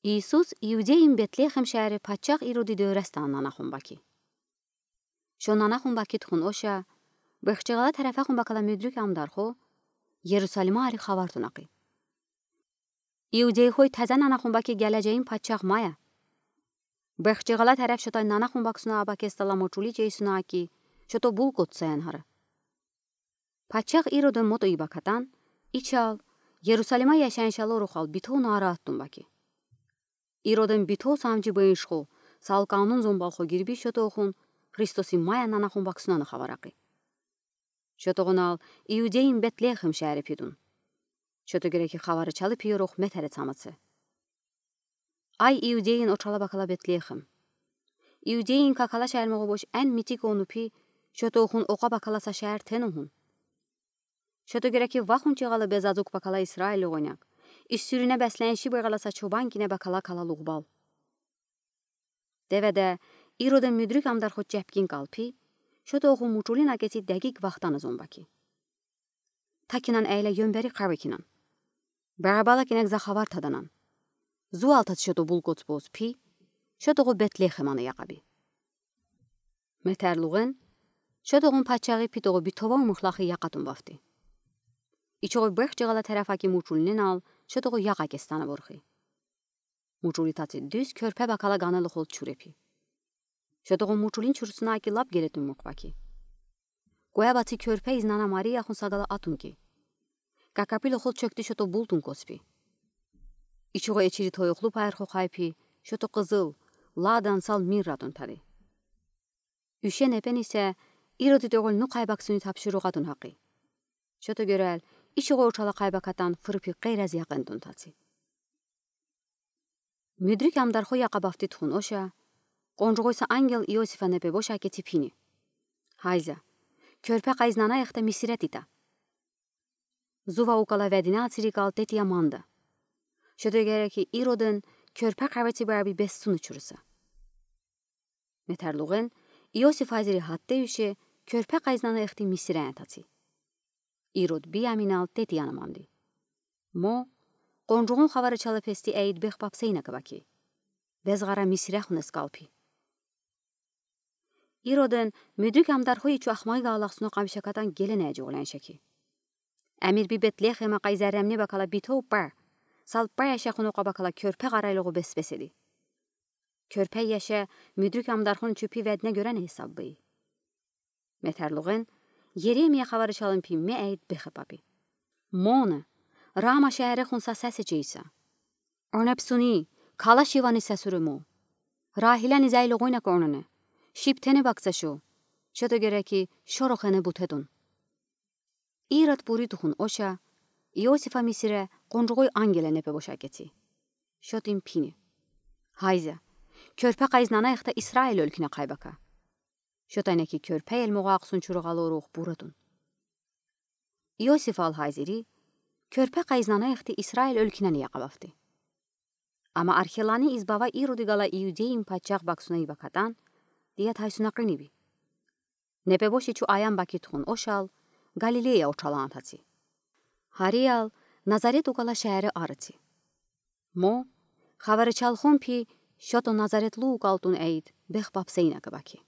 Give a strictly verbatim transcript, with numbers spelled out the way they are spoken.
Иисус Иудейин Бетлехем шаерде пачах Ироди дёресте нанахун баки. Шо нанахун баки тухун оша, бехчегалай тарефахун бакала мудрик амдархо Ерусалимари хавар тунакъи: Иудейхой, тазе нанахун баки гележейин пачах мая. Бехчегалай тареф шотай нанахун баксуна абакеста ламо чули чейсуна аки, шото булкъ отсаян гара. Пачах Ироден мото ибакатан, ичал, Ерусалима яшайын шалорухал битов нараат тун баки. Ироден битов самжи бейишхо, сал канун зомбалхо гирби шотохун Христоси мая нанахун баксунаны хавар акъи. Шотогунал Иудейин Бетлехем шаерде пидун. Шото гереки хаварычалы пиёрох метере цамаце. Ай, Иудейин очала бакала Бетлехем! Иудейин какала шаер могъу бош эн митик ону пи, шотохун окъа бакала са шаер тенухун. Шото гереки вахун чигъалы безазук бакала Исраил огъуняк, исюрине бесленши бегъала са чобан кине бакала калалугъ бал. Деведе Ироден мудрик амдархо чепкин калпи, шотохун мучулин акеци дегиг вахтана зон баки. Такинан эйле ёмбери къавекинан. Барабала кинек за хавар таданан. Зуалтац шото булкъ отс боз пи, шотогъу Бетлехемани яхаби. Метерлугъен, шотогъун пачагъи пи тогъу битован мухлахи яхатун бафти. Ичогъу бехчегалай тарефаки мучулиненал шотогъу яха кестана ворхи. Мучули таци дуз кёрпе бакала ганелухол чурепи. Шотогъун мучулин чурсуна аки лап гелетун мукъ баки. Куябаци кёрпе изнана Марияхун сагала атун ки. Какапилухол чокти шото бултун коспи. Ичогъу эчири тойохлу пайырхо хайпи, шото къызыл, ладан сал мирратун тади. Уьше непен исе Ироди догъул ну къайбаксуни тапшуругъатун гакъи. Шото герел ичогъу очала къайбакатан фырпи къейраз якъын тун таци. Мудрик амдархо яха бафти тухун оша, къонжугъуйса ангел Иосифа непе боша кеци пини. Гьайза, кёрпе къайзнана яхта Мисире тита. Зува укала ведине ацирикал тетия манда. Шото гереки Ироден кёрпе къавеци баби бессуну чуруса. Метерлугъен, Иосиф азири гьатте уьше, кёрпе къайзнана яхти Мисире таци. Ирод бияминал тетияна манди. Мо, къонжугъун хаварычалы пести эйд бех папсейна кабаки. Безгъара Мисире хунес калпи. Ироден мудрик амдархо ичу ахмайга алахсуна къамшакатан гелене жугъуленшеки. Амир би Бетлехема къай зерремни бакала битов па, сал па яшахун окъа бакала кёрпе къарайлугъу бес-бес эди. Кёрпе яша мудрик амдархон чупи ведне гёрен гьисаб бий. Метерлугъен, Еремия хаварычалын пи ме эйд бехе папи. Моне, Рама шаерехун са сесе чейса. Оне псуни, калаш ивани сесуре мо. Рахилани зайлугъуйна конене. Шип тене бакца шо. Шото гереки шорохене бутедун. Ирод бури тухун оша, Иосифа Мисире къонжугъуй ангеле непе боша кеци. Шотин пини. Гьайза, кёрпе къайзнана яхта Исраил оьлкине къайбака. Шотайна ки кёрпе элмогъа акъсун чуругъалорух бурадун. Иосифал гьазири, кёрпе къайзнана яхти Исраил оьлкинени яха бафти. Ама Архелани избава Ироди гала Иудейин пачах баксуна ибакатан, дия тайсуна къиниби. Непе боши чу аян баки тухун ошал, Галилея очалан таци. Гьариял Назарет укала шаере арыци. Мо, хаварычалхон пи, шото Назаретлу укалтун эйд бех папсейна кабаки.